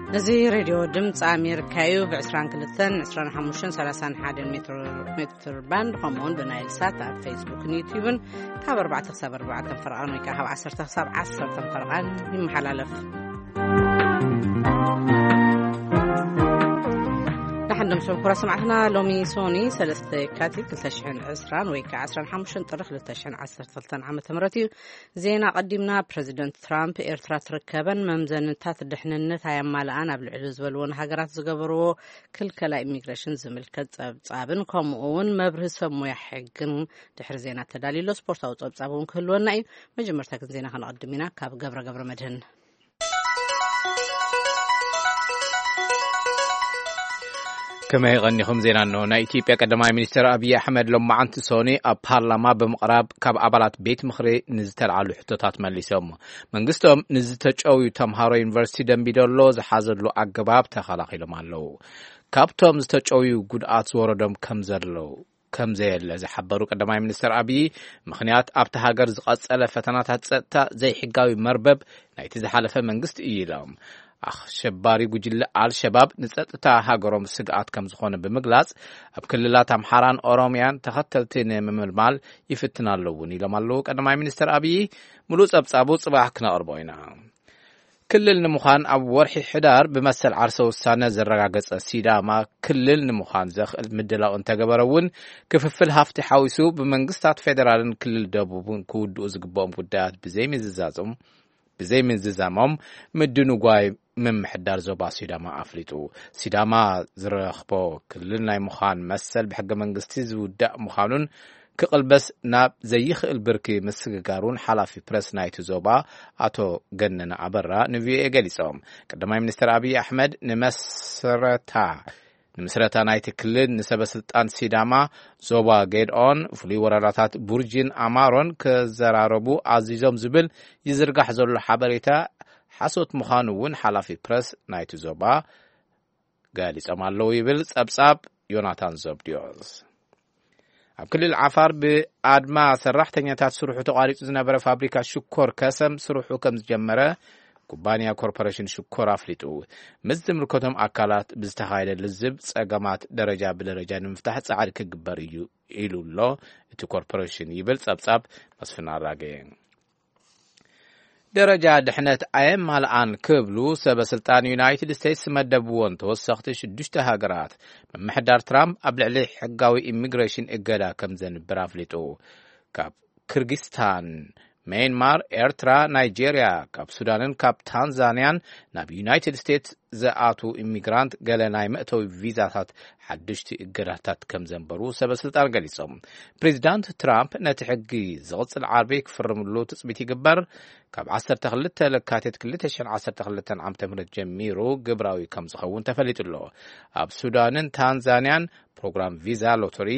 እዚ ሬድዮ ድምፂ ኣሜሪካ እዩ። ብ22፣ 25፣ 31 ሜትር፣ ሜትር ባንድ፣ ከምኡውን ብናይል ሳት ኣብ ፌስቡክን ዩቲዩብን ካብ ኣርባዕተ ክሳብ ኣርባዕተ ፈረቓን ወይ ከዓ ካብ ዓሰርተ ክሳብ ዓሰርተ ፈረቓን ይመሓላለፍ። ደሓን ዶ ምሸት ክቡራት ሰማዕትና። ሎሚ ሶኒ ሰለስተ የካቲት ክልተ ሽሕን ዕስራን ወይ ከዓ ዓሰርተ ሓሙሽተ ጥሪ ክልተ ሽሕን ዓሰርተ ክልተን ዓመተ ምህረት እዩ። ዜና ቀዲምና። ፕረዚደንት ትራምፕ ኤርትራ ትርከበን መምዘንታት ድሕንነት ኣየማልኣን ኣብ ልዕሊ ዝበልዎን ሃገራት ዝገበርዎ ክልከላ ኢሚግሬሽን ዝምልከት ጸብጻብን ከምኡ እውን መብርሂ ሰብ ሞያ ሕግን ድሕሪ ዜና ተዳልዩ ኣሎ። ስፖርታዊ ጸብጻብ እውን ክህልወና እዩ። መጀመርታ ግን ዜና ከነቐድም ኢና ካብ ገብረ ገብረ መድህን። ከመይ ቀኒኹም? ዜና እንሆ። ናይ ኢትዮጵያ ቀዳማይ ሚኒስትር ኣብይ ኣሕመድ ሎማዓንቲ ሶኒ ኣብ ፓርላማ ብምቕራብ ካብ ኣባላት ቤት ምኽሪ ንዝተልዓሉ ሕቶታት መሊሶም። መንግስቶም ንዝተጨውዩ ተምሃሮ ዩኒቨርሲቲ ደምቢዶሎ ዝሓዘሉ ኣገባብ ተኸላኺሎም ኣለዉ። ካብቶም ዝተጨውዩ ጉድኣት ዝወረዶም ከም ዘለዉ ከም ዘየለ ዝሓበሩ ቀዳማይ ሚኒስትር ኣብይ፣ ምኽንያት ኣብቲ ሃገር ዝቐጸለ ፈተናታት ጸጥታ ዘይሕጋዊ መርበብ ናይቲ ዝሓለፈ መንግስቲ እዩ ኢሎም። ኣሸባሪ ጉጅለ ኣልሸባብ ንጸጥታ ሃገሮም ስግኣት ከም ዝኾነ ብምግላጽ፣ ኣብ ክልላት ኣምሓራን ኦሮሚያን ተኸተልቲ ንምምልማል ይፍትን ኣለውን ኢሎም ኣለዉ ቀዳማይ ሚኒስትር ኣብይ። ምሉእ ጸብጻቡ ጽባሕ ክነቕርቦ ኢና። ክልል ንምዃን ኣብ ወርሒ ሕዳር ብመሰል ዓርሰ ውሳነ ዘረጋገጸ ሲዳማ ክልል ንምዃን ዘኽእል ምድላው እንተገበረ እውን፣ ክፍፍል ሃፍቲ ሓዊሱ ብመንግስታት ፌደራልን ክልል ደቡብን ክውድኡ ዝግብኦም ጉዳያት ብዘይምዝዛዞም፣ ብዘይምዝዛሞም ምድንጓይ ምምሕዳር ዞባ ሲዳማ ኣፍሊጡ። ሲዳማ ዝረኽቦ ክልል ናይ ምዃን መሰል ብሕገ መንግስቲ ዝውዳእ ምዃኑን ክቕልበስ ናብ ዘይኽእል ብርኪ ምስግጋሩን ሓላፊ ፕረስ ናይቲ ዞባ ኣቶ ገነነ ኣበራ ንቪኦኤ ገሊጾም። ቀዳማይ ሚኒስትር ኣብይ ኣሕመድ ንመስረታ፣ ንምስረታ ናይቲ ክልል ንሰበ ስልጣን ሲዳማ ዞባ ጌድኦን ፍሉይ ወረዳታት ቡርጂን ኣማሮን ክዘራረቡ ኣዚዞም ዝብል ይዝርጋሕ ዘሎ ሓበሬታ ሓሶት ምዃኑ እውን ሓላፊ ፕረስ ናይቲ ዞባ ገሊጾም ኣለዉ ይብል ጸብጻብ ዮናታን ዘብድዮስ። ኣብ ክልል ዓፋር ብኣድማ ሰራሕተኛታት ስርሑ ተቋሪጹ ዝነበረ ፋብሪካ ሽኮር ከሰም ስርሑ ከም ዝጀመረ ኩባንያ ኮርፖሬሽን ሽኮር ኣፍሊጡ። ምስ ዝምልከቶም ኣካላት ብዝተኻየደ ልዝብ ጸገማት ደረጃ ብደረጃ ንምፍታሕ ጻዕሪ ክግበር እዩ ኢሉ ኣሎ እቲ ኮርፖሬሽን ይብል ጸብጻብ መስፍን ኣራጌ። ደረጃ ድሕነት ኣየማልኣን ክብሉ ሰበ ስልጣን ዩናይትድ ስቴትስ መደብዎን ተወሰኽቲ ሽዱሽተ ሃገራት፣ ምምሕዳር ትራምፕ ኣብ ልዕሊ ሕጋዊ ኢሚግሬሽን እገዳ ከም ዘንብር ኣፍሊጡ። ካብ ክርጊስታን፣ ሜንማር፣ ኤርትራ፣ ናይጄርያ፣ ካብ ሱዳንን ካብ ታንዛንያን ናብ ዩናይትድ ስቴትስ ዝኣቱ ኢሚግራንት ገለ ናይ መእተዊ ቪዛታት ሓድሽቲ እገዳታት ከም ዘንበሩ ሰበ ስልጣን ገሊጾም። ፕሬዚዳንት ትራምፕ ነቲ ሕጊ ዝቕጽል ዓርቢ ክፍርምሉ ትጽቢት ይግበር። ካብ ዓሰርተ ክልተ ለካቲት ክልተ ሽሕን ዓሰርተ ክልተን ዓመተ ምህረት ጀሚሩ ግብራዊ ከም ዝኸውን ተፈሊጡ ኣሎ። ኣብ ሱዳንን ታንዛንያን ፕሮግራም ቪዛ ሎተሪ፣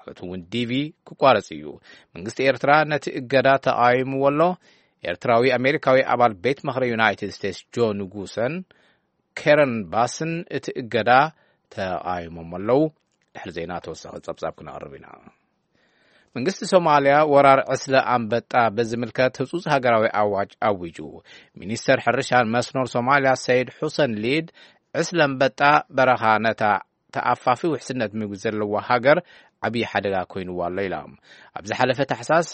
ማለት እውን ዲቪ፣ ክቋረጽ እዩ። መንግስቲ ኤርትራ ነቲ እገዳ ተቓዊምዎ ኣሎ። ኤርትራዊ ኣሜሪካዊ ኣባል ቤት ምኽሪ ዩናይትድ ስቴትስ ጆ ንጉሰን ኬረን ባስን እቲ እገዳ ተቓዊሞም ኣለዉ። ድሕሪ ዜና ተወሳኺ ጸብጻብ ክነቕርብ ኢና። መንግስቲ ሶማልያ ወራር ዕስለ ኣንበጣ በዝምልከት ህጹጽ ሃገራዊ ኣዋጅ ኣዊጁ። ሚኒስተር ሕርሻን መስኖር ሶማልያ ሰይድ ሑሰን ሊድ፣ ዕስለ ኣንበጣ በረኻ ነታ ተኣፋፊ ውሕስነት ምግቢ ዘለዋ ሃገር ዓብዪ ሓደጋ ኮይንዋ ኣሎ ኢላ። ኣብ ዝሓለፈ ታሕሳስ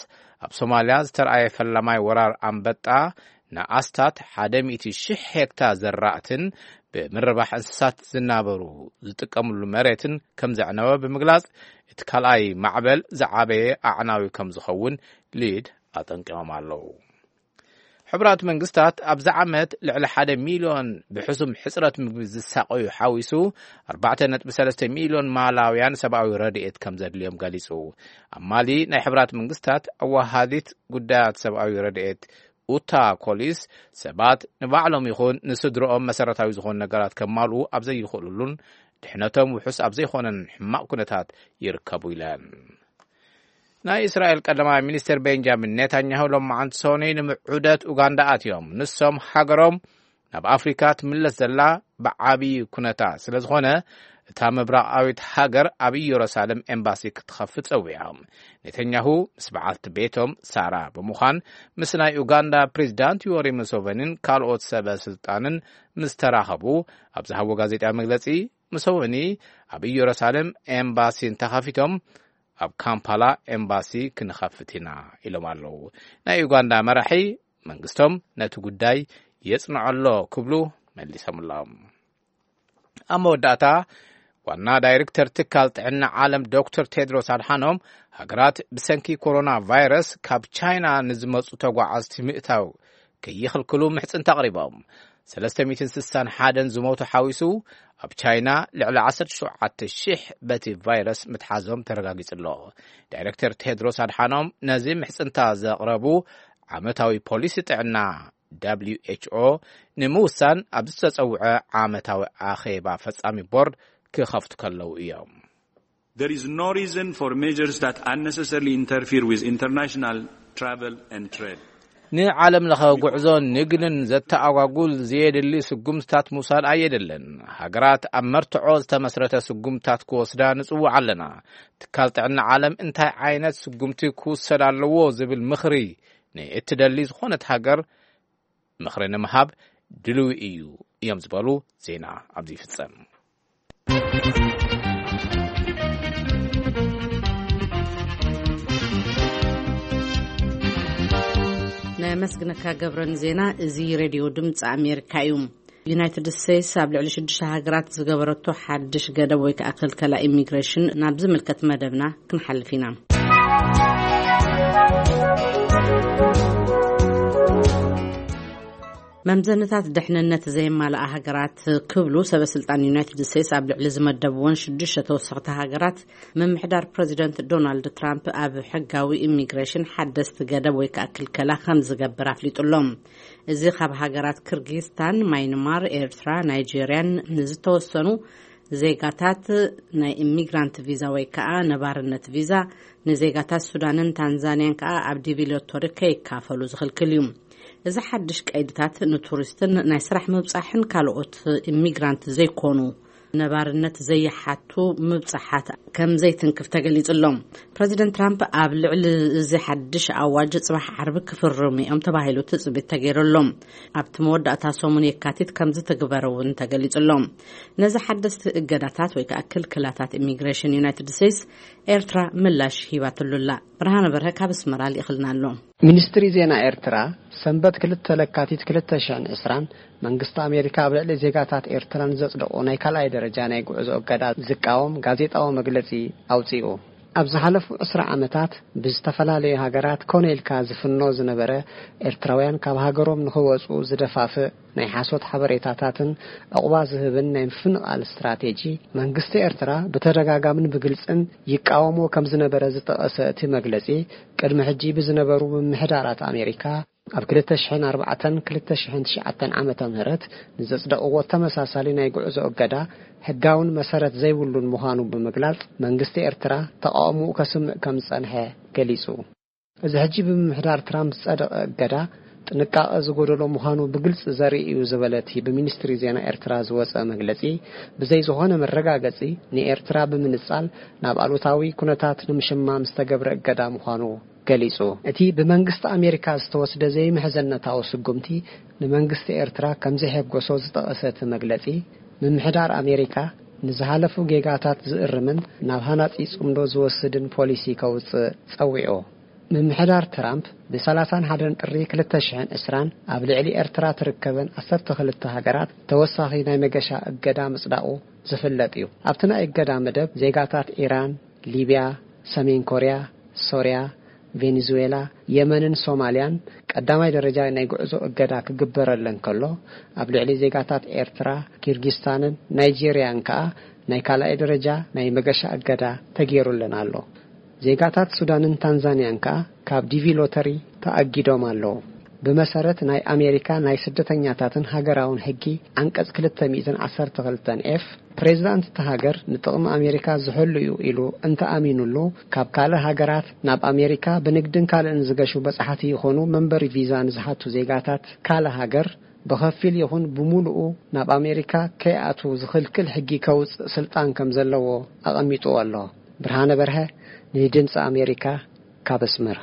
ኣብ ሶማልያ ዝተረኣየ ፈላማይ ወራር ኣንበጣ ንኣስታት ሓደ ሚእቲ ሺሕ ሄክታር ዘራእትን ብምርባሕ እንስሳት ዝናበሩ ዝጥቀምሉ መሬትን ከም ዘዕነወ ብምግላጽ፣ እቲ ካልኣይ ማዕበል ዝዓበየ ኣዕናዊ ከም ዝኸውን ሊድ ኣጠንቂቖም ኣለዉ። ሕቡራት መንግስታት ኣብዚ ዓመት ልዕሊ ሓደ ሚልዮን ብሕሱም ሕጽረት ምግቢ ዝሳቐዩ ሓዊሱ ኣርባዕተ ነጥቢ ሰለስተ ሚልዮን ማላውያን ሰብኣዊ ረድኤት ከም ዘድልዮም ገሊጹ። ኣብ ማሊ ናይ ሕቡራት መንግስታት ኣዋሃዲት ጉዳያት ሰብኣዊ ረድኤት ኡታ ኮሊስ ሰባት ንባዕሎም ይኹን ንስድሮኦም መሰረታዊ ዝኾኑ ነገራት ከማልኡ ኣብ ዘይኽእሉሉን ድሕነቶም ውሑስ ኣብ ዘይኾነን ሕማቕ ኩነታት ይርከቡ ኢለን። ናይ እስራኤል ቀዳማይ ሚኒስትር ቤንጃሚን ኔታንያሁ ሎማዓንቲ ሶኒ ንምዑደት ኡጋንዳ ኣትዮም። ንሶም ሃገሮም ናብ ኣፍሪካ ትምለስ ዘላ ብዓብዪ ኩነታ ስለ ዝኾነ፣ እታ ምብራቓዊት ሃገር ኣብ ኢየሩሳሌም ኤምባሲ ክትኸፍት ጸዊዖም። ኔተኛሁ ምስ በዓልቲ ቤቶም ሳራ ብምዃን፣ ምስ ናይ ኡጋንዳ ፕሬዚዳንት ዮወሪ ሙሶቨኒን ካልኦት ሰበ ስልጣንን ምስ ተራኸቡ፣ ኣብ ዝሃቦ ጋዜጣዊ መግለጺ፣ ሙሶቨኒ ኣብ ኢየሩሳሌም ኤምባሲ እንተኸፊቶም፣ ኣብ ካምፓላ ኤምባሲ ክንኸፍት ኢና ኢሎም ኣለዉ። ናይ ኡጋንዳ መራሒ መንግስቶም ነቲ ጉዳይ የጽንዖ ኣሎ ክብሉ መሊሶምሎም። ኣብ መወዳእታ፣ ዋና ዳይሬክተር ትካል ጥዕና ዓለም ዶክተር ቴድሮስ ኣድሓኖም፣ ሃገራት ብሰንኪ ኮሮና ቫይረስ ካብ ቻይና ንዝመጹ ተጓዓዝቲ ምእታው ከይኽልክሉ ምሕጽንታ ኣቕሪቦም። ሰለስተ ሚእትን ስሳን ሓደን ዝሞቱ ሓዊሱ፣ ኣብ ቻይና ልዕሊ ዓሰርተ ሸውዓተ ሺሕ በቲ ቫይረስ ምትሓዞም ተረጋጊጹ ኣሎ። ዳይሬክተር ቴድሮስ ኣድሓኖም ነዚ ምሕጽንታ ዘቕረቡ፣ ዓመታዊ ፖሊሲ ጥዕና ደብሊው ኤች ኦ ንምውሳን ኣብ ዝተጸውዐ ዓመታዊ ኣኼባ ፈጻሚ ቦርድ ክኸፍቱ ከለዉ እዮም። There is no reason for measures that unnecessarily interfere with international travel and trade. ንዓለም ለኸ ጉዕዞን ንግድን ዘተኣጓጉል ዘየድሊ ስጉምትታት ምውሳድ ኣየድልን። ሃገራት ኣብ መርትዖ ዝተመስረተ ስጉምትታት ክወስዳ ንጽውዕ ኣለና። ትካል ጥዕና ዓለም እንታይ ዓይነት ስጉምቲ ክውሰድ ኣለዎ ዝብል ምኽሪ ንእትደሊ ዝኾነት ሃገር ምኽሪ ንምሃብ ድልዊ እዩ እዮም ዝበሉ። ዜና ኣብዚ ይፍጸም። ነመስግነካ ገብረን ዜና። እዚ ሬድዮ ድምፂ ኣሜሪካ እዩ። ዩናይትድ ስቴትስ ኣብ ልዕሊ ሽዱሽተ ሃገራት ዝገበረቶ ሓድሽ ገደብ ወይ ከዓ ክልከላ ኢሚግሬሽን ናብ ዝምልከት መደብና ክንሓልፍ ኢና። መምዘንታት ድሕንነት ዘየማልኣ ሃገራት ክብሉ ሰበ ስልጣን ዩናይትድ ስቴትስ ኣብ ልዕሊ ዝመደብዎን ሽዱሽተ ተወሰኽቲ ሃገራት ምምሕዳር ፕረዚደንት ዶናልድ ትራምፕ ኣብ ሕጋዊ ኢሚግሬሽን ሓደስቲ ገደብ ወይ ከዓ ክልከላ ከም ዝገብር ኣፍሊጡ ኣሎ። እዚ ካብ ሃገራት ክርጊስታን፣ ማይንማር፣ ኤርትራ፣ ናይጄርያን ንዝተወሰኑ ዜጋታት ናይ ኢሚግራንት ቪዛ ወይ ከዓ ነባርነት ቪዛ፣ ንዜጋታት ሱዳንን ታንዛንያን ከዓ ኣብ ዲቪ ሎተሪ ከይካፈሉ ዝኽልክል እዩ። እዚ ሓድሽ ቀይድታት ንቱሪስትን ናይ ስራሕ ምብጻሕን ካልኦት ኢሚግራንት ዘይኮኑ ነባርነት ዘይሓቱ ምብጻሓት ከም ዘይትንክፍ ተገሊጹ ኣሎ። ፕረዚደንት ትራምፕ ኣብ ልዕሊ እዚ ሓድሽ ኣዋጅ ጽባሕ ዓርቢ ክፍርሙ እዮም ተባሂሉ ትጽቢት ተገይሩ ኣሎ። ኣብቲ መወዳእታ ሰሙን የካቲት ከም ዝትግበር እውን ተገሊጹ ኣሎ። ነዚ ሓደስቲ እገዳታት ወይ ከዓ ክልክላታት ኢሚግሬሽን ዩናይትድ ስቴትስ ኤርትራ ምላሽ ሂባትሉ ኣላ። ብርሃነ በርሀ ካብ ኣስመራ ልኢኽልና ኣሎ። ሚኒስትሪ ዜና ኤርትራ ሰንበት ክልተ ለካቲት ክልተ ሽሕን ዕስራን መንግስቲ ኣሜሪካ ኣብ ልዕሊ ዜጋታት ኤርትራ ንዘጽደቑ ናይ ካልኣይ ደረጃ ናይ ጉዕዞ እገዳ ዝቃወም ጋዜጣዊ መግለጺ ኣውጺኡ። ኣብ ዝሓለፉ ዕስራ ዓመታት ብዝተፈላለዩ ሃገራት ኮነ ኢልካ ዝፍኖ ዝነበረ ኤርትራውያን ካብ ሃገሮም ንኽወጹ ዝደፋፍእ ናይ ሓሶት ሓበሬታታትን ዕቑባ ዝህብን ናይ ምፍንቓል ስትራቴጂ መንግስቲ ኤርትራ ብተደጋጋምን ብግልጽን ይቃወሞ ከም ዝነበረ ዝጠቐሰ እቲ መግለጺ፣ ቅድሚ ሕጂ ብዝነበሩ ምምሕዳራት ኣሜሪካ ኣብ ክልተ ሽሕን ኣርባዕተን ክልተ ሽሕን ትሽዓተን ዓመተ ምህረት ንዘጽደቕዎ ተመሳሳሊ ናይ ጉዕዞ እገዳ ሕጋውን መሰረት ዘይብሉን ምዃኑ ብምግላጽ፣ መንግስቲ ኤርትራ ተቓውሞኡ ከስምዕ ከም ዝጸንሐ ገሊጹ። እዚ ሕጂ ብምምሕዳር ትራምፕ ዝጸደቐ እገዳ ጥንቃቐ ዝጎደሎ ምዃኑ ብግልጺ ዘርኢ እዩ ዝበለ እቲ ብሚኒስትሪ ዜና ኤርትራ ዝወጸ መግለጺ፣ ብዘይ ዝኾነ መረጋገጺ ንኤርትራ ብምንጻል ናብ ኣሉታዊ ኩነታት ንምሽማም ዝተገብረ እገዳ ምዃኑ ገሊጹ። እቲ ብመንግስቲ ኣሜሪካ ዝተወስደ ዘይምሕዘነታዊ ስጉምቲ ንመንግስቲ ኤርትራ ከም ዘየሐጎሶ ዝጠቐሰ እቲ መግለጺ፣ ምምሕዳር ኣሜሪካ ንዝሓለፉ ጌጋታት ዝእርምን ናብ ሃናጺ ጽምዶ ዝወስድን ፖሊሲ ከውጽእ ጸዊዑ። ምምሕዳር ትራምፕ ብሰላሳን ሓደን ጥሪ ክልተ ሽሕን ዕስራን ኣብ ልዕሊ ኤርትራ ትርከበን ዓሰርተ ክልተ ሃገራት ተወሳኺ ናይ መገሻ እገዳ ምጽዳቑ ዝፍለጥ እዩ። ኣብቲ ናይ እገዳ መደብ ዜጋታት ኢራን፣ ሊብያ፣ ሰሜን ኮርያ፣ ሶርያ፣ ቬኔዙዌላ፣ የመንን ሶማልያን ቀዳማይ ደረጃ ናይ ጉዕዞ እገዳ ክግበረለን ከሎ፣ ኣብ ልዕሊ ዜጋታት ኤርትራ፣ ኪርጊስታንን ናይጄርያን ከኣ ናይ ካልኣይ ደረጃ ናይ መገሻ እገዳ ተገይሩለን ኣሎ። ዜጋታት ሱዳንን ታንዛንያን ከኣ ካብ ዲቪ ሎተሪ ተኣጊዶም ኣለዉ። ብመሰረት ናይ ኣሜሪካ ናይ ስደተኛታትን ሃገራውን ሕጊ ዓንቀጽ ክልተ ሚእትን ዓሰርተ ክልተን ኤፍ፣ ፕሬዚዳንት እታ ሃገር ንጥቕሚ ኣሜሪካ ዝሕሉ እዩ ኢሉ እንተኣሚኑሉ፣ ካብ ካልእ ሃገራት ናብ ኣሜሪካ ብንግድን ካልእን ዝገሹ በጻሕቲ ይኹኑ መንበሪ ቪዛ ንዝሓቱ ዜጋታት ካልእ ሃገር ብኸፊል ይኹን ብምሉኡ ናብ ኣሜሪካ ከይኣትዉ ዝኽልክል ሕጊ ከውፅእ ስልጣን ከም ዘለዎ ኣቐሚጥዎ ኣሎ። ብርሃነ በርሀ፣ ንድምፂ ኣሜሪካ፣ ካብ ኣስመራ።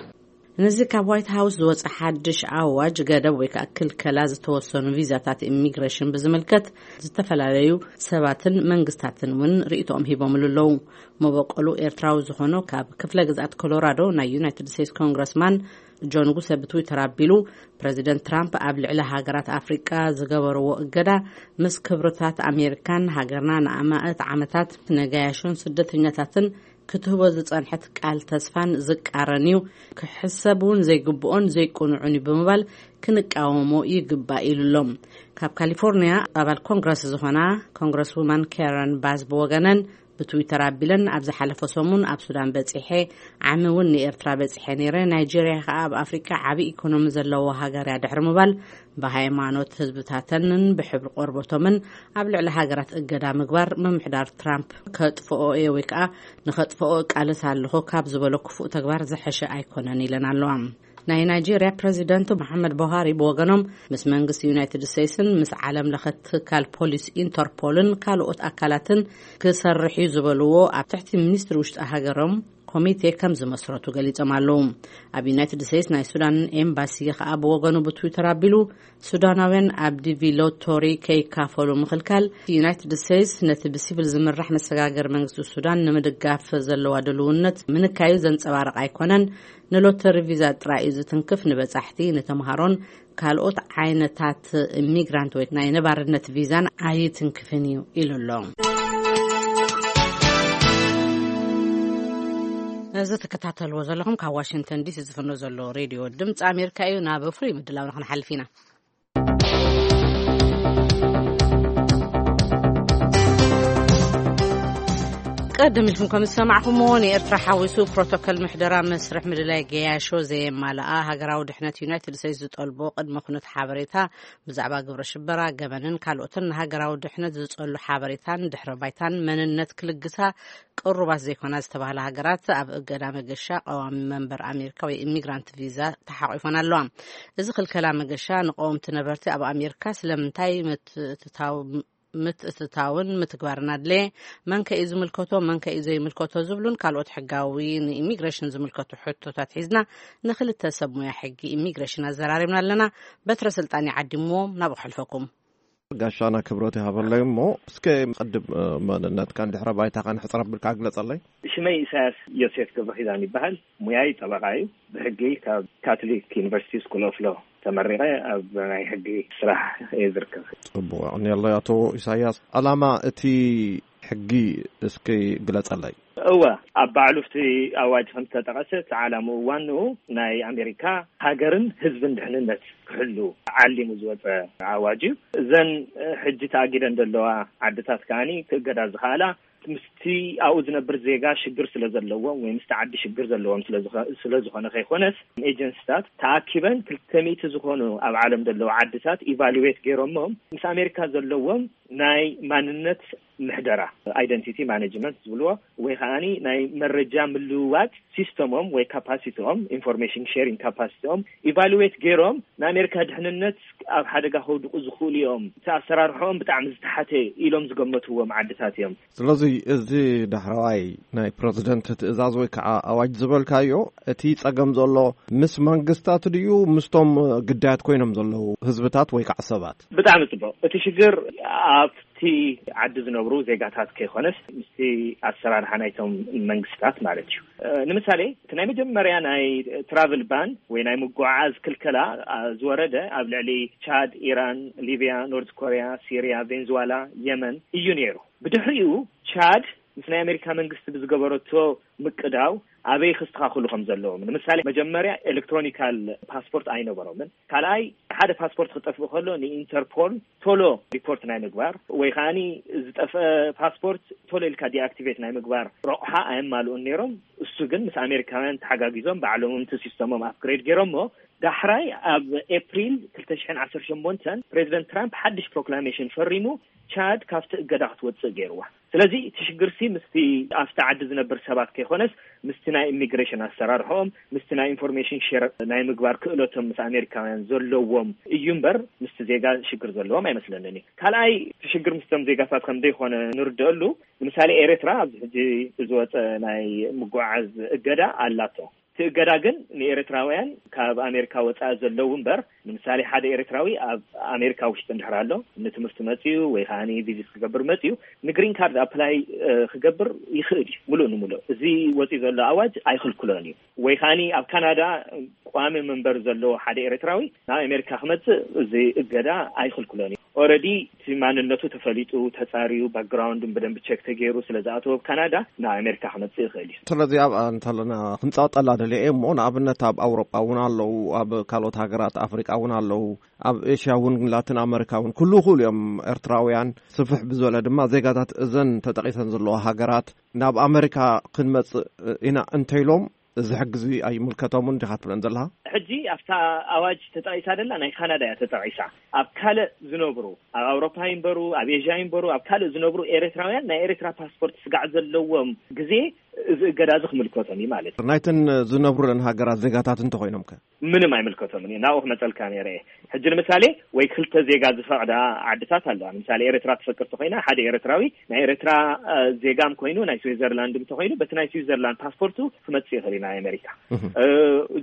ነዚ ካብ ዋይት ሃውስ ዝወፀ ሓድሽ ኣዋጅ ገደብ ወይ ከዓ ክልከላ ዝተወሰኑ ቪዛታት ኢሚግሬሽን ብዝምልከት ዝተፈላለዩ ሰባትን መንግስታትን እውን ርእይቶኦም ሂቦምሉ ኣለዉ። መበቆሉ ኤርትራዊ ዝኾኑ ካብ ክፍለ ግዝኣት ኮሎራዶ ናይ ዩናይትድ ስቴትስ ኮንግረስማን ጆን ጉሰ ብትዊተር ኣቢሉ፣ ፕረዚደንት ትራምፕ ኣብ ልዕሊ ሃገራት ኣፍሪቃ ዝገበርዎ እገዳ ምስ ክብርታት ኣሜሪካን ሃገርና ንኣማእት ዓመታት ነጋያሾን ስደተኛታትን ክትህቦ ዝጸንሐት ቃል ተስፋን ዝቃረን እዩ፣ ክሕሰብ እውን ዘይግብኦን ዘይቅኑዕን እዩ ብምባል ክንቃወሞ ይግባእ ኢሉ ኣሎ። ካብ ካሊፎርኒያ ኣባል ኮንግረስ ዝኾና ኮንግረስ ውማን ካረን ባዝ ብወገነን ብትዊተር ኣቢለን፣ ኣብ ዝሓለፈ ሰሙን ኣብ ሱዳን በጺሐ፣ ዓሚ እውን ንኤርትራ በጺሐ ነይረ፣ ናይጄርያ ከኣ ኣብ ኣፍሪቃ ዓቢ ኢኮኖሚ ዘለዎ ሃገር እያ ድሕሪ ምባል፣ ብሃይማኖት ህዝብታተንን ብሕብሪ ቆርበቶምን ኣብ ልዕሊ ሃገራት እገዳ ምግባር ምምሕዳር ትራምፕ ከጥፍኦ እየ ወይ ከኣ ንኸጥፍኦ እቃለስ ኣለኹ ካብ ዝበሎ ክፉእ ተግባር ዝሐሸ ኣይኮነን ኢለን ኣለዋ። ናይ ናይጄርያ ፕረዚደንት መሓመድ ቡሃሪ ብወገኖም፣ ምስ መንግስቲ ዩናይትድ ስቴትስን ምስ ዓለም ለኸ ትካል ፖሊስ ኢንተርፖልን ካልኦት ኣካላትን ክሰርሕ እዩ ዝበልዎ ኣብ ትሕቲ ሚኒስትሪ ውሽጢ ሃገሮም ኮሚቴ ከም ዝመስረቱ ገሊጾም ኣለዉ። ኣብ ዩናይትድ ስቴትስ ናይ ሱዳን ኤምባሲ ከኣ ብወገኑ ብትዊተር ኣቢሉ፣ ሱዳናውያን ኣብ ዲቪ ሎቶሪ ከይካፈሉ ምኽልካል፣ ዩናይትድ ስቴትስ ነቲ ብሲቪል ዝምራሕ መሰጋገሪ መንግስቲ ሱዳን ንምድጋፍ ዘለዋ ድልውነት ምንካዩ ዘንጸባርቕ ኣይኮነን፣ ንሎተሪ ቪዛ ጥራይ እዩ ዝትንክፍ፣ ንበጻሕቲ፣ ንተምሃሮን ካልኦት ዓይነታት ኢሚግራንት ወይ ናይ ነባርነት ቪዛን ኣይትንክፍን እዩ ኢሉ ኣሎ። እዚ ትከታተልዎ ዘለኹም ካብ ዋሽንግተን ዲሲ ዝፍኖ ዘሎ ሬድዮ ድምፂ ኣሜሪካ እዩ። ናብ ፍሉይ ምድላውና ክንሓልፍ ኢና። ቀደም ኢልኩም ከም ዝሰማዕኹምዎ፣ ንኤርትራ ሓዊሱ ፕሮቶኮል ምሕደራ መስርሕ ምድላይ ገያሾ ዘየማልኣ፣ ሃገራዊ ድሕነት ዩናይትድ ስቴትስ ዝጠልቦ ቅድመ ኩነት ሓበሬታ ብዛዕባ ግብረ ሽበራ፣ ገበንን ካልኦትን ንሃገራዊ ድሕነት ዝጸሉ ሓበሬታን ድሕረ ባይታን መንነት ክልግሳ ቅሩባት ዘይኮና ዝተባህላ ሃገራት ኣብ እገዳ መገሻ ቀዋሚ መንበር ኣሜሪካ ወይ ኢሚግራንት ቪዛ ተሓቂፈን ኣለዋ። እዚ ክልከላ መገሻ ንቀወምቲ ነበርቲ ኣብ ኣሜሪካ ስለምንታይ ምትእትታው ምትእትታውን ምትግባርን ኣድለየ፣ መን ከ እዩ ዝምልከቶ፣ መን ከ እዩ ዘይምልከቶ ዝብሉን ካልኦት ሕጋዊ ንኢሚግሬሽን ዝምልከቱ ሕቶታት ሒዝና ንክልተ ሰብ ሙያ ሕጊ ኢሚግሬሽን ኣዘራሪብና ኣለና። በትረ ስልጣን ይዓዲምዎም፣ ናብኡ ከሕልፈኩም። ጋሻና ክብረት ይሃበለይ እሞ፣ እስከ ቅድም፣ እ፣ መንነትካን ድሕረ ባይታኻን ሕጽር ኣቢልካ ግለጸለይ። ሽመይ ኢሳያስ ዮሴፍ ገብረኺዳን ይበሃል። ሙያይ ጠበቃ እዩ። ብሕጊ ካብ ካቶሊክ ዩኒቨርሲቲ ስኩል ኦፍ ሎ ተመሪቐ ኣብ ናይ ሕጊ ስራሕ እየ ዝርከብ። ጽቡቕ፣ የቐንየለይ ኣቶ ኢሳያስ። ዕላማ እቲ ሕጊ እስኪ ግለጸለይ። እወ፣ ኣብ ባዕሉ እቲ ኣዋጅ ከም ዝተጠቐሰ፣ እቲ ዓላምኡ ዋንኡ ናይ ኣሜሪካ ሃገርን ህዝብን ድሕንነት ክሕሉ ዓሊሙ ዝወፀ ኣዋጅ እዩ። እዘን፣ እ፣ ሕጂ ተኣጊደን ዘለዋ ዓድታት ከኣኒ ክእገዳ ዝኸኣላ ምስቲ ኣብኡ ዝነብር ዜጋ ሽግር ስለ ዘለዎም ወይ ምስቲ ዓዲ ሽግር ዘለዎም ስለ ዝኸ-፣ ስለ ዝኾነ ከይኮነስ፣ ኤጀንሲታት ተኣኪበን ክልተ ሚእቲ ዝኾኑ ኣብ ዓለም ዘለዉ ዓድታት ኢቫሉዌት ገይሮሞም ምስ ኣሜሪካ ዘለዎም ናይ ማንነት ምሕደራ፣ ኣይደንቲቲ ማኔጅመንት ዝብልዎ፣ ወይ ከኣኒ ናይ መረጃ ምልውዋጥ ሲስተሞም ወይ ካፓሲቲኦም፣ ኢንፎርሜሽን ሼሪንግ ካፓሲቲኦም ኢቫሉዌት ገይሮም ንኣሜሪካ ድሕንነት ኣብ ሓደጋ ከውድቁ ዝኽእሉ እዮም፣ እቲ ኣሰራርሖኦም ብጣዕሚ ዝተሓተ ኢሎም ዝገመትዎም ዓድታት እዮም። ስለዚ እዚ ዳሕረዋይ ናይ ፕረዚደንት ትእዛዝ ወይ ከዓ ኣዋጅ ዝበልካዮ፣ እቲ ጸገም ዘሎ ምስ መንግስታት ድዩ ምስቶም ግዳያት ኮይኖም ዘለዉ ህዝብታት ወይ ከዓ ሰባት? ብጣዕሚ ጽቡቕ። እቲ ሽግር ኣብቲ ዓዲ ዝነብሩ ዜጋታት ከይኮነስ ምስቲ ኣሰራርሓ ናይቶም መንግስታት ማለት እዩ። እ፣ ንምሳሌ እቲ ናይ መጀመርያ ናይ ትራቭል ባን ወይ ናይ ምጉዓዝ ክልከላ፣ አ፣ ዝወረደ ኣብ ልዕሊ ቻድ፣ ኢራን፣ ሊብያ፣ ኖርዝ ኮርያ፣ ሲርያ፣ ቬንዙዋላ፣ የመን እዩ ነይሩ። ብድሕሪኡ ቻድ ምስ ናይ ኣሜሪካ መንግስቲ ብዝገበረቶ ምቅዳው ኣበይ ክስተኻኽሉ ከም ዘለዎም፣ ንምሳሌ መጀመርያ ኤሌክትሮኒካል ፓስፖርት ኣይነበሮምን። ካልኣይ ሓደ ፓስፖርት ክጠፍእ ከሎ ንኢንተርፖል ቶሎ ሪፖርት ናይ ምግባር ወይ ከኣኒ ዝጠፍአ ፓስፖርት ቶሎ ኢልካ ዲኣክቲቬት ናይ ምግባር ረቑሓ ኣየማልኡን ነይሮም። እሱ ግን ምስ ኣሜሪካውያን ተሓጋጊዞም ባዕሎም እቲ ሲስተሞም ኣፕግሬድ ገይሮሞ ዳሕራይ ኣብ ኤፕሪል ክልተ ሽሕን ዓሰርተ ሸሞንተን ፕሬዚደንት ትራምፕ ሓድሽ ፕሮክላሜሽን ፈሪሙ፣ ቻድ ካብቲ እገዳ ክትወፅእ ገይርዋ። ስለዚ እቲ ሽግርሲ ምስቲ ኣብቲ ዓዲ ዝነብር ሰባት ከይኮነስ ምስቲ ናይ ኢሚግሬሽን ኣሰራርሖም፣ ምስቲ ናይ ኢንፎርሜሽን ሼር ናይ ምግባር ክእለቶም ምስ ኣሜሪካውያን ዘለዎም እዩ እምበር ምስቲ ዜጋ ሽግር ዘለዎም ኣይመስለንን እዩ። ካልኣይ እቲ ሽግር ምስቶም ዜጋታት ከም ዘይኮነ ንርደአሉ። ንምሳሌ ኤርትራ ኣብዚ ሕጂ ዝወፀ ናይ ምጉዓዝ እገዳ ኣላቶ። እቲ እገዳ ግን ንኤርትራውያን ካብ ኣሜሪካ ወፃኢ ዘለዉ እምበር፣ ንምሳሌ ሓደ ኤርትራዊ ኣብ ኣሜሪካ ውሽጢ እንድሕር ኣሎ፣ ንትምህርቲ መፅዩ ወይ ከዓ ቪዚት ክገብር መፅዩ፣ ንግሪን ካርድ ኣፕላይ ክገብር ይኽእል እዩ። ሙሉእ ንሙሉእ እዚ ወፂኡ ዘሎ ኣዋጅ ኣይኽልክሎን እዩ። ወይ ከዓ ኣብ ካናዳ ቋሚ መንበሪ ዘለዎ ሓደ ኤርትራዊ ናብ ኣሜሪካ ክመፅእ እዚ እገዳ ኣይኽልክሎን እዩ። ኦረዲ እቲ ማንነቱ ተፈሊጡ፣ ተፃርዩ፣ ባክግራውንዱን ብደንብ ቸክ ተገይሩ ስለ ዝኣተወ ኣብ ካናዳ ናብ ኣሜሪካ ክመፅእ ይኽእል እዩ። ስለዚ ኣብ እንተለና ክንፃወጠላ ደልየ እየ እሞ፣ ንኣብነት ኣብ ኣውሮጳ እውን ኣለዉ፣ ኣብ ካልኦት ሃገራት ኣፍሪቃ እውን ኣለዉ፣ ኣብ ኤሽያ እውን ላቲን ኣመሪካ እውን ኩሉ ይኽእሉ እዮም። ኤርትራውያን ስፍሕ ብዝበለ ድማ ዜጋታት እዘን ተጠቒሰን ዘለዋ ሃገራት ናብ ኣመሪካ ክንመፅእ ኢና እንተኢሎም፣ እዚ ሕጊ እዚ ኣይምልከቶምን ዲኻ ትብለን ዘለኻ? ሕጂ ኣብታ ኣዋጅ ተጠቒሳ ደላ ናይ ካናዳ እያ ተጠቒሳ። ኣብ ካልእ ዝነብሩ፣ ኣብ ኣውሮፓ ይንበሩ፣ ኣብ ኤዥያ ይንበሩ፣ ኣብ ካልእ ዝነብሩ ኤርትራውያን ናይ ኤርትራ ፓስፖርት ስጋዕ ዘለዎም ግዜ እዚ እገዳ እዚ ክምልከቶም እዩ ማለት እዩ። ናይተን ዝነብሩለን ሃገራት ዜጋታት እንተኾይኖም ከ? ምንም ኣይምልከቶምን እዩ። ናብኡ ክመፀልካ ነይረ እየ። ሕጂ ንምሳሌ ወይ ክልተ ዜጋ ዝፈቕዳ ዓድታት ኣለዋ። ንምሳሌ ኤርትራ ትፈቅድ ተኾይና ሓደ ኤርትራዊ ናይ ኤርትራ እ፣ ዜጋም ኮይኑ ናይ ስዊዘርላንድ እንተኾይኑ በቲ ናይ ስዊዘርላንድ ፓስፖርቱ ክመፅእ ይኽእል እዩ ናይ ኣሜሪካ። እ፣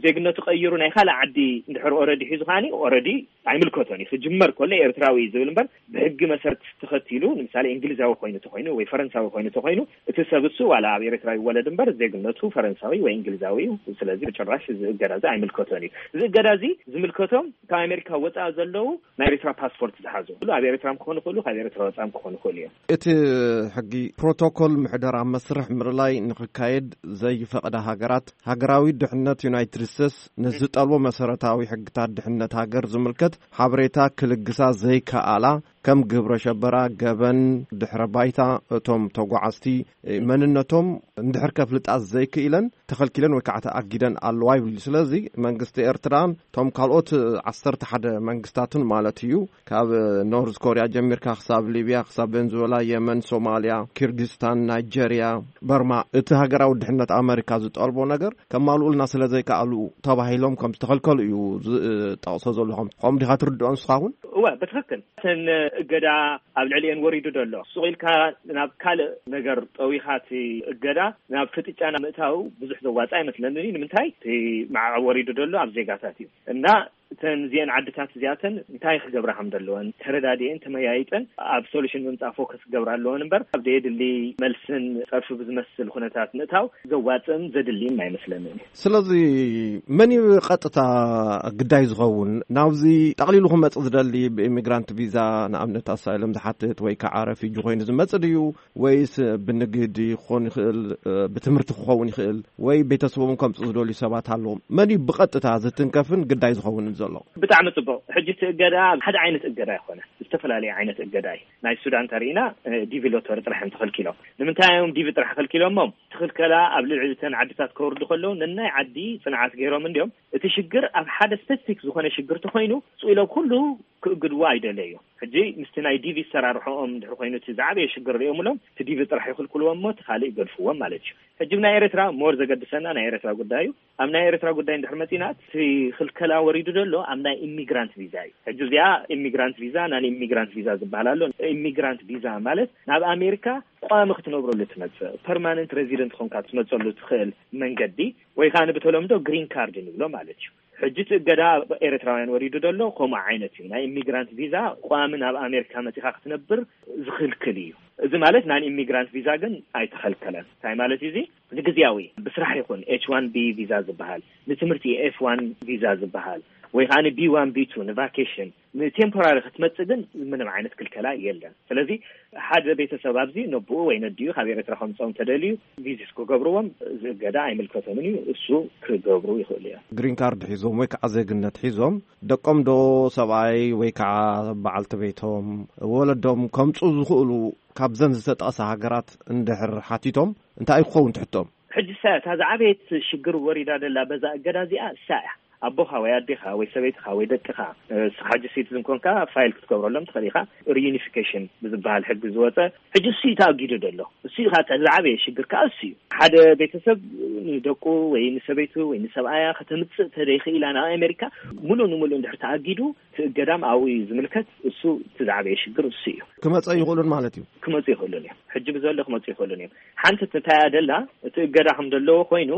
ዜግነቱ ቀይሩ ናይ ካልእ ዓዲ እንድሕር ኦረዲ ሒዙ ከዓኒ ኦረዲ ኣይምልከቶን እዩ። ክጅመር ከሎ ኤርትራዊ እዩ ዝብል እምበር ብሕጊ መሰረት ተኸቲሉ ንምሳሌ እንግሊዛዊ ኮይኑ ተኾይኑ ወይ ፈረንሳዊ ኮይኑ ተኾይኑ እቲ ሰብ እሱ ዋላ ኣብ ኤርትራ ይወለድ እምበር ዜግነቱ ፈረንሳዊ ወይ እንግሊዛዊ እዩ። ስለዚ ብጭራሽ እዚ እገዳ እዚ ኣይምልከቶን እዩ። እዚ እገዳ እዚ ዝምልከቶም ካብ ኣሜሪካ ወፃኢ ዘለዉ ናይ ኤርትራ ፓስፖርት ዝሓዙ ኩሉ ኣብ ኤርትራ ክኾኑ ይኽእሉ፣ ካብ ኤርትራ ወፃኢ ክኾኑ ይኽእሉ እዮም። እቲ ሕጊ ፕሮቶኮል ምሕደራ መስርሕ ምርላይ ንክካየድ ዘይፈቕዳ ሃገራት፣ ሃገራዊ ድሕነት ዩናይትድ ስቴትስ ንዝጠልቦ መሰረታዊ ሕግታት ድሕነት ሃገር ዝምልከት ሓበሬታ ክልግሳ ዘይከኣላ፣ ከም ግብረ ሸበራ፣ ገበን፣ ድሕረ ባይታ እቶም ተጓዓዝቲ፣ መንነቶም እንድሕር ከፍልጣ ዘይክኢለን ተኸልኪለን ወይ ከዓ ተኣጊደን ኣለዋ ይብል። ስለዚ መንግስቲ ኤርትራን እቶም ካልኦት ዓሰርተ ሓደ መንግስታትን ማለት እዩ፣ ካብ ኖርዝ ኮርያ ጀሚርካ ክሳብ ሊብያ፣ ክሳብ ቬንዙዌላ፣ የመን፣ ሶማልያ፣ ኪርጊስታን፣ ናይጀርያ፣ በርማ፣ እቲ ሃገራዊ ድሕነት ኣመሪካ ዝጠልቦ ነገር ከማልኡልና ስለ ዘይከኣሉ ተባሂሎም ከም ዝተኸልከሉ እዩ ዝጠቕሶ ዘለኹም። ከምኡ ዲኻ ትርድኦ ንስኻ እውን? እወ፣ ብትኽክል። እተን እገዳ ኣብ ልዕሊኤን ወሪዱ ዘሎ። ሱቕ ኢልካ ናብ ካልእ ነገር ጠዊኻ እቲ እገዳ ናብ ፍጥጫ ናብ ምእታው ብዙሕ ዘዋጽእ ኣይመስለንን እዩ። ንምንታይ? እቲ ማዕቐብ ወሪዱ ዘሎ ኣብ ዜጋታት እዩ። እና እተን እዚአን ዓድታት እዚኣተን እንታይ ክገብራ ከም ዘለወን ተረዳዲአን ተመያይጠን ኣብ ሶሉሽን ምምጻእ ፎከስ ክገብራ ኣለወን እምበር ኣብ ዘየድሊ መልስን ጸርፊ ብዝመስል ኩነታት ምእታው ዘዋጽእን ዘድልን ኣይመስለንን እዩ። ስለዚ መን እዩ ቀጥታ ግዳይ ዝኸውን? ናብዚ ጠቕሊሉ ክመጽእ ዝደሊ ብኢሚግራንት ቪዛ ንኣብነት ኣሳይለም ዝሓትት ወይ ከዓ ረፊጂ ኮይኑ ዝመጽእ ድዩ? ወይስ ብንግዲ ክኾን ይኽእል፣ ብትምህርቲ ክኸውን ይኽእል፣ ወይ ቤተሰቦም ከምጽኡ ዝደልዩ ሰባት ኣለዎም? መን እዩ ብቐጥታ ዝትንከፍን ግዳይ ዝኸውንን ዘሎ? ብጣዕሚ ጽቡቕ። ሕጂ እቲ እገዳ ሓደ ዓይነት እገዳ ኣይኮነ፣ ዝተፈላለየ ዓይነት እገዳ እዩ። ናይ ሱዳን ተሪኢና ዲቪ ሎተሪ ጥራሕ እዮም ተኸልኪሎም። ንምንታይ እዮም ዲቪ ጥራሕ ከልኪሎሞም? ትኽልከላ ኣብ ልዕሊ እተን ዓድታት ከውርዱ ከለዉ ነናይ ዓዲ ጽንዓት ገይሮም እንዲዮም። እቲ ሽግር ኣብ ሓደ ስፔሲፊክ ዝኾነ ሽግር ተኾይኑ ስኢሎም ኩሉ ክእግድዎ ኣይደለዩ። ሕጂ ምስቲ ናይ ዲቪ ሰራርሖኦም ድሕሪ ኮይኑ እቲ ዝዓበየ ሽግር ሪኦምሎም እቲ ዲቪ ጥራሕ ይኽልክልዎም እሞ እቲ ካልእ ይገድፍዎም ማለት እዩ። ሕጂ ናይ ኤርትራ ሞር ዘገድሰና ናይ ኤርትራ ጉዳይ እዩ። ኣብ ናይ ኤርትራ ጉዳይ እንድሕር መጺና እቲ ክልከላ ወሪዱ ዘሎ ኣብ ናይ ኢሚግራንት ቪዛ እዩ። ሕጂ እዚኣ ኢሚግራንት ቪዛ ናን ኢሚግራንት ቪዛ ዝበሃል ኣሎ። ኢሚግራንት ቪዛ ማለት ናብ ኣሜሪካ ቋሚ ክትነብረሉ ትመጽእ ፐርማነንት ሬዚደንት ኮንካ ትመጸሉ ትኽእል መንገዲ ወይ ከዓ ብተለምዶ ግሪን ካርድ ንብሎ ማለት እዩ። ሕጂ እቲ እገዳ ኤርትራውያን ወሪዱ ዘሎ ከምኡ ዓይነት እዩ። ናይ ኢሚግራንት ቪዛ ቋሚ ናብ ኣሜሪካ መጺኻ ክትነብር ዝኽልክል እዩ። እዚ ማለት ናይ ኢሚግራንት ቪዛ ግን ኣይተኸልከለን። እንታይ ማለት እዩ እዚ? ንግዝያዊ ብስራሕ ይኹን ኤች ዋን ቢ ቪዛ ዝበሃል፣ ንትምህርቲ ኤፍ ዋን ቪዛ ዝበሃል ወይ ከዓ ቢ ዋን ቢ ቱ ንቫኬሽን ንቴምፖራሪ ክትመጽእ ግን ምንም ዓይነት ክልከላ የለን። ስለዚ ሓደ ቤተሰብ ኣብዚ ነብኡ ወይ ነዲኡ ካብ ኤርትራ ከምፅኦም ተደልዩ ቪዚት ክገብርዎም ዝእገዳ ኣይምልከቶምን እዩ። እሱ ክገብሩ ይኽእሉ እዮም። ግሪን ካርድ ሒዞም ወይ ከዓ ዜግነት ሒዞም ደቆም ዶ ሰብኣይ ወይ ከዓ በዓልቲ ቤቶም ወለዶም ከምፁ ዝኽእሉ ካብዘን ዝተጠቕሳ ሃገራት እንድሕር ሓቲቶም እንታይ ክኸውን ትሕቶም? ሕጂ እሳ እታ ዝዓበየት ሽግር ወሪዳ ደላ በዛ እገዳ እዚኣ እሳ እያ። ኣቦኻ ወይ ኣዴኻ ወይ ሰበይትኻ ወይ ደቅኻ፣ እ፣ ንስኻ ሕጂ ሲቲዝን ኮንካ ፋይል ክትገብረሎም ትኽእል ኢኻ። ሪዩኒፊኬሽን ብዝበሃል ሕጊ ዝወፀ ሕጂ እሱ እዩ ተኣጊዱ ዘሎ። እሱ እዩ ከዓ ዝዓበየ ሽግር ከዓ እሱ እዩ። ሓደ ቤተሰብ ንደቁ ወይ ንሰበይቱ ወይ ንሰብኣያ ከተምፅእ ተደይኽኢላ ናብ ኣሜሪካ፣ ሙሉእ ንሙሉእ እንድሕር ተኣጊዱ፣ እቲ እገዳም ኣብኡ እዩ ዝምልከት። እሱ እቲ ዝዓበየ ሽግር እሱ እዩ። ክመፀ ይኽእሉን ማለት እዩ። ክመፁ ይኽእሉን እዮም። ሕጂ ብዘሎ ክመፁ ይኽእሉን እዮም። ሓንቲ እንታይ እያ ደላ፣ እቲ እገዳ ከም ዘለዎ ኮይኑ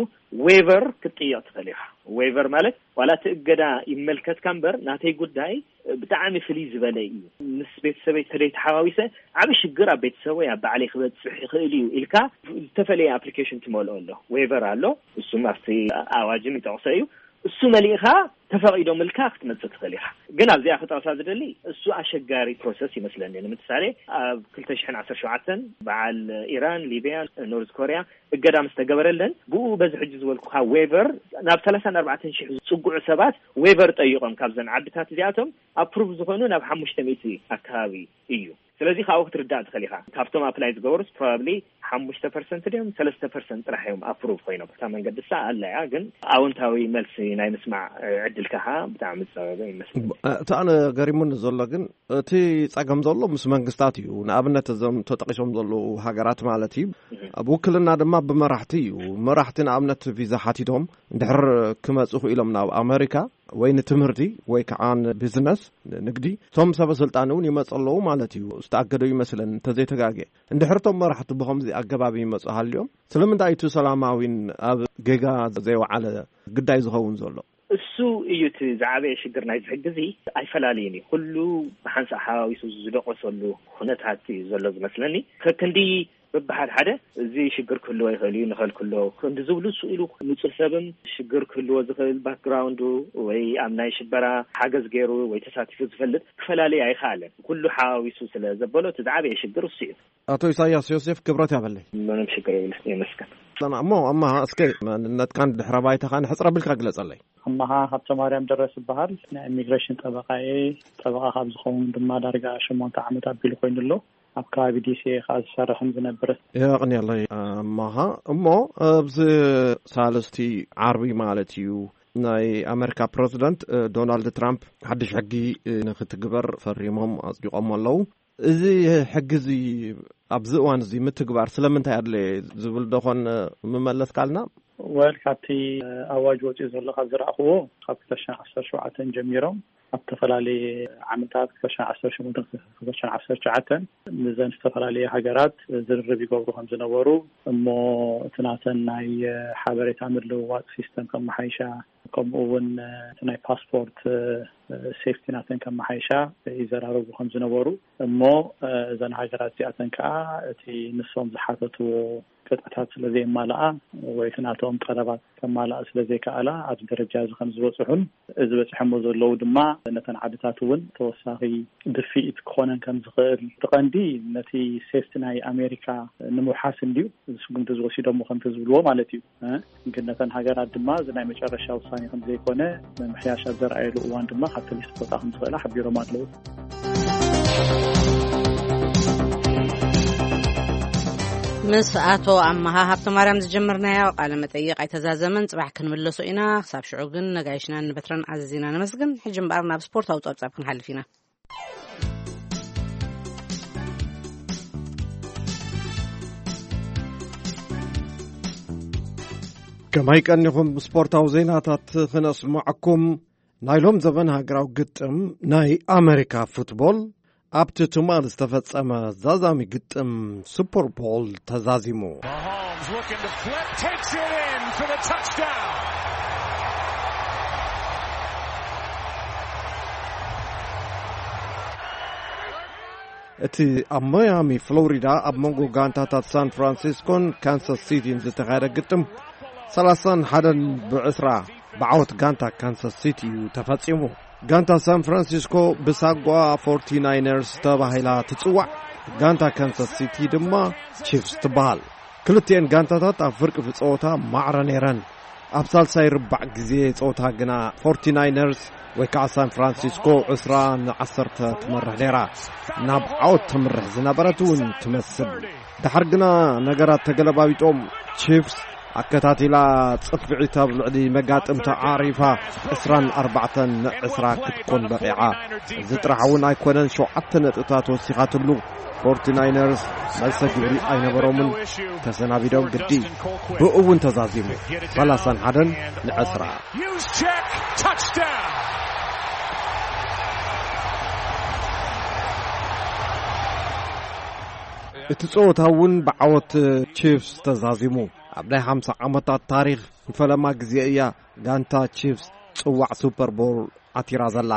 ዌቨር ክትጥየቕ ትኽእል ኢኻ። ዌቨር ማለት ዋላ እቲ እገዳ ይመልከትካ እምበር ናተይ ጉዳይ ብጣዕሚ ፍልይ ዝበለ እዩ። ምስ ቤተሰበይ ተደይ ተሓዋዊሰ ዓቢ ሽግር ኣብ ቤተሰብ ወይ ኣብ ባዕለይ ክበፅሕ ይኽእል እዩ ኢልካ ዝተፈለየ ኣፕሊኬሽን ትመልኦ ኣሎ። ዌቨር ኣሎ። እሱም ኣብቲ ኣዋጅም ይጠቕሶ እዩ። እሱ መሊእኻ ተፈቒዶምልካ ክትመጽእ ትኽእል ኢኻ። ግን ኣብዚኣ ክጠቕሳ ዝደሊ እሱ ኣሸጋሪ ፕሮሰስ ይመስለኒ። ንምሳሌ ኣብ ክልተ ሽሕን ዓሰርተ ሸውዓተን በዓል ኢራን፣ ሊብያ፣ ኖርዝ ኮርያ እገዳ ምስ ተገበረለን ብኡ በዚ ሕጂ ዝበልኩኻ ዌቨር ናብ ሰላሳን ኣርባዕተን ሽሕ ዝጽግዑ ሰባት ዌቨር ጠይቖም ካብዘን ዓድታት እዚኣቶም ኣፕሩቭ ዝኾኑ ናብ ሓሙሽተ ሚእቲ ኣካባቢ እዩ። ስለዚ ካብኡ ክትርዳእ ትኽእል ኢኻ። ካብቶም ኣፕላይ ዝገበሩስ ፕሮባብሊ ሓሙሽተ ፐርሰንት ድዮም ሰለስተ ፐርሰንት ጥራሕ እዮም ኣፕሩቭ ኮይኖም። እታ መንገዲ ሳ ኣላ እያ፣ ግን ኣወንታዊ መልሲ ናይ ምስማዕ ዕድልካ ብጣዕሚ ዝፀበበ ይመስለኒ። እቲ ኣነ ገሪሙኒ ዘሎ ግን እቲ ጸገም ዘሎ ምስ መንግስታት እዩ። ንኣብነት እዞም ተጠቂሶም ዘለዉ ሃገራት ማለት እዩ። ኣብ ውክልና ድማ ብመራሕቲ እዩ። መራሕቲ ንኣብነት ቪዛ ሓቲቶም እንድሕር ክመጹ ኢሎም ናብ ኣመሪካ ወይ ንትምህርቲ ወይ ከዓ ንቢዝነስ፣ ንንግዲ፣ እቶም ሰበ ስልጣን እውን ይመጹ ኣለዉ ማለት እዩ። ዝተኣገደ ይመስለን እንተዘይተጋግየ። እንድሕር እቶም መራሕቲ ብኸምዚ ኣገባብ ይመጹ ሃልዮም፣ ስለምንታይ እቲ ሰላማዊን ኣብ ጌጋ ዘይወዓለ ግዳይ ዝኸውን ዘሎ? እሱ እዩ እቲ ዝዓበየ ሽግር ናይዚ ሕጊ እዚ። ኣይፈላልይን እዩ። ኩሉ ብሓንሳእ ሓዋዊሱ ዝደቆሰሉ ኩነታት እዩ ዘሎ ዝመስለኒ። ከክንዲ በብሓደ ሓደ እዚ ሽግር ክህልዎ ይኽእል እዩ፣ ንኸልክሎ ክንዲ ዝብሉ እሱ ኢሉ ንጹህ ሰብም ሽግር ክህልዎ ዝኽእል ባክግራውንዱ ወይ ኣብ ናይ ሽበራ ሓገዝ ገይሩ ወይ ተሳቲፉ ዝፈልጥ ክፈላለይ ኣይኸኣለን። ኩሉ ሓዋዊሱ ስለ ዘበሎ እቲ ዝዓበየ ሽግር እሱ እዩ። ኣቶ ኢሳያስ ዮሴፍ ክብረት ያበለይ። ምንም ሽግር የብልስ፣ የመስገን። እሞ ኣማሃ እስከ መንነትካን ድሕረ ባይታኻን ሕጽር ኣቢልካ ግለጸለይ። ኣማሃ ሃብተ ማርያም ደረስ ይበሃል። ናይ ኢሚግሬሽን ጠበቃ እየ። ጠበቃ ካብ ዝኸውን ድማ ዳርጋ ሸሞንተ ዓመት ኣቢሉ ኮይኑ ኣሎ። ኣብ ከባቢ ዲሲ እየ ከዓ ዝሰርሕን ዝነብርን። የቕንየለይ ኣማሃ። እሞ ኣብዚ ሳልስቲ ዓርቢ ማለት እዩ ናይ ኣሜሪካ ፕረዚደንት እ፣ ዶናልድ ትራምፕ ሓድሽ ሕጊ እ፣ ንክትግበር ፈሪሞም ኣጽዲቖም ኣለዉ። እዚ ሕጊ እዚ ኣብዚ እዋን እዚ ምትግባር ስለምንታይ ኣድለየ ዝብል ዶ ኾን ምመለስካልና? ወል ካብቲ ኣዋጅ ወፂኡ ዘሎ ካብ ዝረኣኽዎ ካብ ክልተ ሽሕን ዓሰርተ ሸውዓተን ጀሚሮም ኣብ ዝተፈላለየ ዓመታት ክልተ ሽሕን ዓሰርተ ሸሞንተን ክልተ ሽሕን ዓሰርተ ትሽዓተን ንዘን ዝተፈላለየ ሃገራት ዝርርብ ይገብሩ ከም ዝነበሩ እሞ እቲ ናተን ናይ ሓበሬታ ምልውዋጥ ሲስተም ከመሓይሻ ከምኡ እውን እቲ ናይ ፓስፖርት ሴፍቲ ናተን ከመሓይሻ ይዘራረቡ ከም ዝነበሩ እሞ እዘን ሃገራት እዚኣተን ከዓ እቲ ንሶም ዝሓተትዎ ቅጥዕታት ስለ ዘየማልኣ ወይ እቲ ናቶም ጠለባት ከማልኣ ስለ ዘይከኣላ ኣብዚ ደረጃ እዚ ከም ዝበፅሑን እዚ በፂሖሞ ዘለዉ ድማ ነተን ዓድታት እውን ተወሳኺ ድፍኢት ክኾነን ከም ዝኽእል እቲ ቀንዲ ነቲ ሴፍቲ ናይ ኣሜሪካ ንምውሓስ እንድዩ ስጉምቲ ዝወሲዶሞ ከምቲ ዝብልዎ ማለት እዩ። ግን ነተን ሃገራት ድማ እዚ ናይ መጨረሻ ውሳኔ ከም ዘይኮነ ምምሕያሽ ኣብ ዘርኣየሉ እዋን ድማ ካብቲ ሊስት ክወፃ ከም ዝኽእላ ሓቢሮም ኣለዉ። ምስ ኣቶ ኣመሃ ሃብተ ማርያም ዝጀመርናዮ ቃለ መጠይቕ ኣይተዛዘመን። ጽባሕ ክንምለሶ ኢና። ክሳብ ሽዑ ግን ነጋይሽናን ንበትረን ኣዘዚና ነመስግን። ሕጂ እምበኣር ናብ ስፖርታዊ ጸብጻብ ክንሓልፍ ኢና። ከማይ ቀኒኹም ስፖርታዊ ዜናታት ክነስምዐኩም። ናይ ሎም ዘበን ሃገራዊ ግጥም ናይ ኣሜሪካ ፉትቦል ኣብቲ ትማል ዝተፈጸመ ዛዛሚ ግጥም ሱፐር ቦል ተዛዚሙ። እቲ ኣብ ማያሚ ፍሎሪዳ ኣብ መንጎ ጋንታታት ሳን ፍራንሲስኮን ካንሳስ ሲቲን ዝተኻየደ ግጥም ሰላሳን ሓደን ብዕስራ ብዓወት ጋንታ ካንሳስ ሲቲ እዩ ተፈጺሙ። ጋንታ ሳን ፍራንሲስኮ ብሳጓ ፎርቲ ናይነርስ ተባሂላ ትጽዋዕ፣ ጋንታ ካንሳስ ሲቲ ድማ ቺፍስ ትበሃል። ክልቲኤን ጋንታታት ኣብ ፍርቂ ፍጸወታ ማዕረ ነይረን። ኣብ ሳልሳይ ርባዕ ግዜ ጸወታ ግና ፎርቲ ናይነርስ ወይ ከዓ ሳን ፍራንሲስኮ ዕስራ ንዓሰርተ ትመርሕ ነይራ። ናብ ዓወት ተምርሕ ዝነበረት እውን ትመስል። ድሓር ግና ነገራት ተገለባቢጦም ቺፍስ ኣከታቲላ ጽፍዒት ኣብ ልዕሊ መጋጥምታ ዓሪፋ ዕስራን ኣርባዕተን ንዕስራ ክትኮን በቒዓ። እዚ ጥራሕ እውን ኣይኮነን፣ ሸውዓተ ነጥብታት ወሲኻትሉ። ፎርቲ ናይነርስ መልሰ ግብሪ ኣይነበሮምን፣ ተሰናቢዶም ግዲ። ብኡ እውን ተዛዚሙ፣ ሰላሳን ሓደን ንዕስራ። እቲ ጸወታ እውን ብዓወት ቺፍስ ተዛዚሙ። ኣብ ናይ ሓምሳ ዓመታት ታሪኽ ንፈለማ ግዜ እያ ጋንታ ቺፍስ ጽዋዕ ሱፐር ቦል ዓቲራ ዘላ።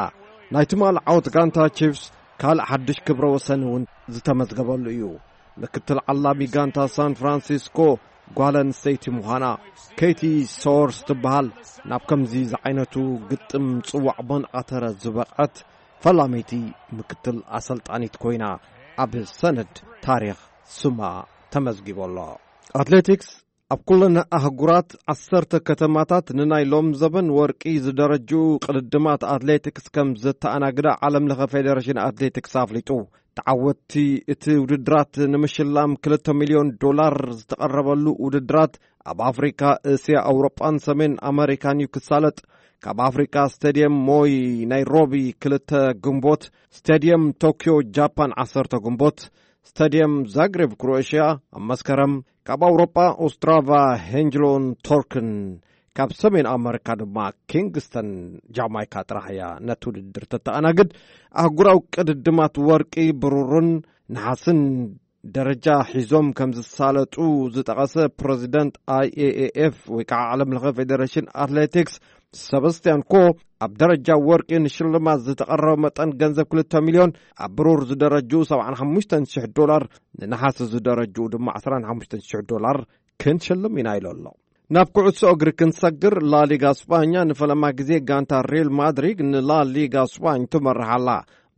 ናይ ትማሊ ዓወት ጋንታ ቺፍስ ካልእ ሓድሽ ክብረ ወሰን እውን ዝተመዝገበሉ እዩ። ምክትል ዓላሚ ጋንታ ሳን ፍራንሲስኮ ጓል ኣንስተይቲ ምዃና ኬቲ ሶርስ ትበሃል። ናብ ከምዚ ዝዓይነቱ ግጥም ጽዋዕ ቦን ኣተረ ዝበቕዐት ፈላመይቲ ምክትል ኣሰልጣኒት ኮይና ኣብ ሰነድ ታሪኽ ስማ ተመዝጊቡ ኣሎ። ኣትሌቲክስ ኣብ ኩለን ኣህጉራት ዓሰርተ ከተማታት ንናይ ሎም ዘበን ወርቂ ዝደረጁ ቅድድማት ኣትሌቲክስ ከም ዘተኣናግዳ ዓለም ለኸ ፌዴሬሽን ኣትሌቲክስ ኣፍሊጡ። ተዓወትቲ እቲ ውድድራት ንምሽላም ክልተ ሚልዮን ዶላር ዝተቐረበሉ ውድድራት ኣብ ኣፍሪካ፣ እስያ፣ ኣውሮጳን ሰሜን ኣመሪካን እዩ ክሳለጥ። ካብ ኣፍሪካ ስቴድየም ሞይ ናይሮቢ ክልተ ግንቦት፣ ስቴድየም ቶኪዮ ጃፓን ዓሰርተ ግንቦት፣ ስታድየም ዛግሬብ ክሮኤሽያ ኣብ መስከረም፣ ካብ ኣውሮጳ ኦስትራቫ ሄንጅሎን ቶርክን፣ ካብ ሰሜን ኣመሪካ ድማ ኪንግስተን ጃማይካ ጥራሕ እያ ነቲ ውድድር ተተኣናግድ። ኣህጉራዊ ቅድድማት ወርቂ፣ ብሩርን ነሓስን ደረጃ ሒዞም ከም ዝሳለጡ ዝጠቐሰ ፕረዚደንት ኣይ ኤ ኤ ኤፍ ወይ ከዓ ዓለም ለኸ ፌዴሬሽን ኣትሌቲክስ ሰበስቲያን ኮ፣ ኣብ ደረጃ ወርቂ ንሽልማት ዝተቐረበ መጠን ገንዘብ ክልተ ሚልዮን፣ ኣብ ብሩር ዝደረጅኡ ሰብዓን ሓሙሽተን ሽሕ ዶላር፣ ንነሓስ ዝደረጅኡ ድማ ዕስራን ሓሙሽተን ሽሕ ዶላር ክንሽልም ኢና ኢሉ ኣሎ። ናብ ኩዕሶ እግሪ ክንሰግር፣ ላሊጋ ስጳኛ ንፈለማ ግዜ ጋንታ ሪል ማድሪድ ንላሊጋ ስጳኝ ትመርሕ ኣላ።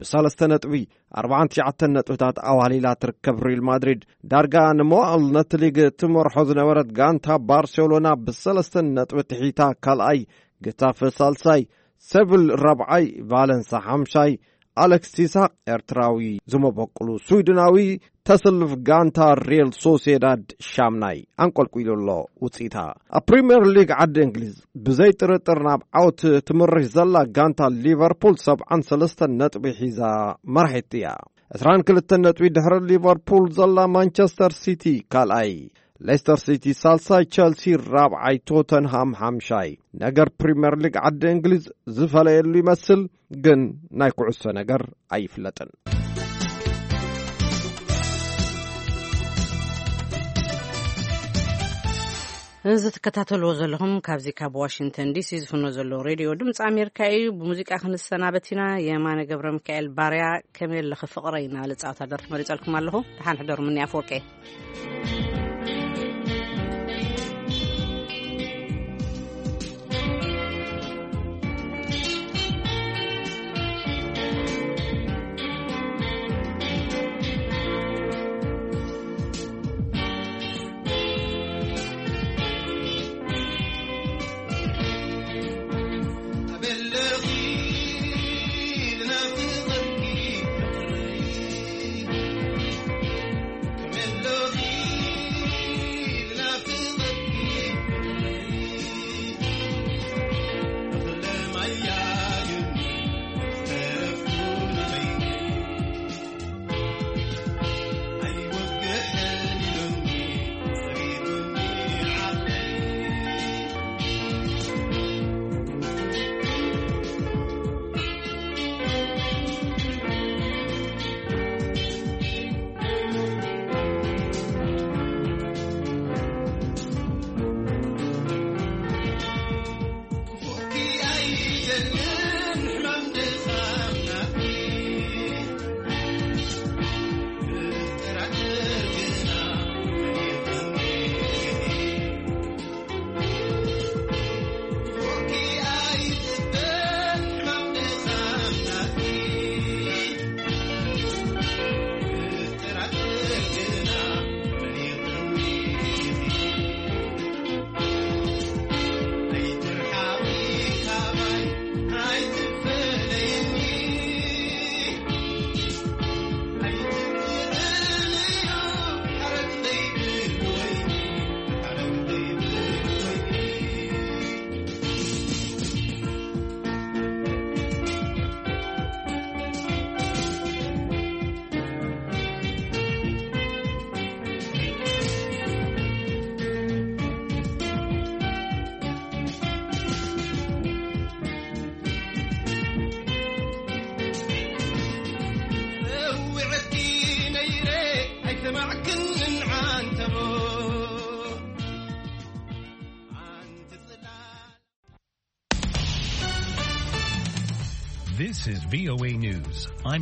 ብሰለስተ ነጥቢ ኣርባዓን ትሽዓተን ነጥብታት ኣዋሊላ ትርከብ ሪል ማድሪድ፣ ዳርጋ ንመዋእል ነቲ ሊግ ትመርሖ ዝነበረት ጋንታ ባርሴሎና ብሰለስተ ነጥቢ ትሒታ ካልኣይ፣ ገታፈ ሳልሳይ፣ ሴቪል ራብዓይ፣ ቫለንሳ ሓምሻይ፣ ኣሌክስ ይስሐቅ ኤርትራዊ ዝመበቅሉ ስዊድናዊ ተሰልፍ ጋንታ ሪል ሶሴዳድ ሻምናይ ኣንቆልቁሉ ኣሎ ውፅኢታ። ኣብ ፕሪምየር ሊግ ዓዲ እንግሊዝ ብዘይ ጥርጥር ናብ ዓወት ትምርሽ ዘላ ጋንታ ሊቨርፑል ሰብዓን ሰለስተን ነጥቢ ሒዛ መራሒት እያ። ዕስራን ክልተን ነጥቢ ድሕሪ ሊቨርፑል ዘላ ማንቸስተር ሲቲ ካልኣይ፣ ሌስተር ሲቲ ሳልሳይ፣ ቸልሲ ራብዓይ፣ ቶተንሃም ሓምሻይ። ነገር ፕሪምየር ሊግ ዓዲ እንግሊዝ ዝፈለየሉ ይመስል፣ ግን ናይ ኩዕሶ ነገር ኣይፍለጥን። እዚ ትከታተልዎ ዘለኹም ካብዚ ካብ ዋሽንግተን ዲሲ ዝፍኖ ዘሎ ሬድዮ ድምፂ ኣሜሪካ እዩ። ብሙዚቃ ክንሰናበት ኢና። የማነ ገብረ ሚካኤል ባርያ ከመይ ኣለኺ ፍቕረይ እናበለ ፃወታ ደርፊ መሪፀልኩም ኣለኹ። ደሓን ሕደሩ። ምኒ ኣፍወርቄ። This is V O A News. I'm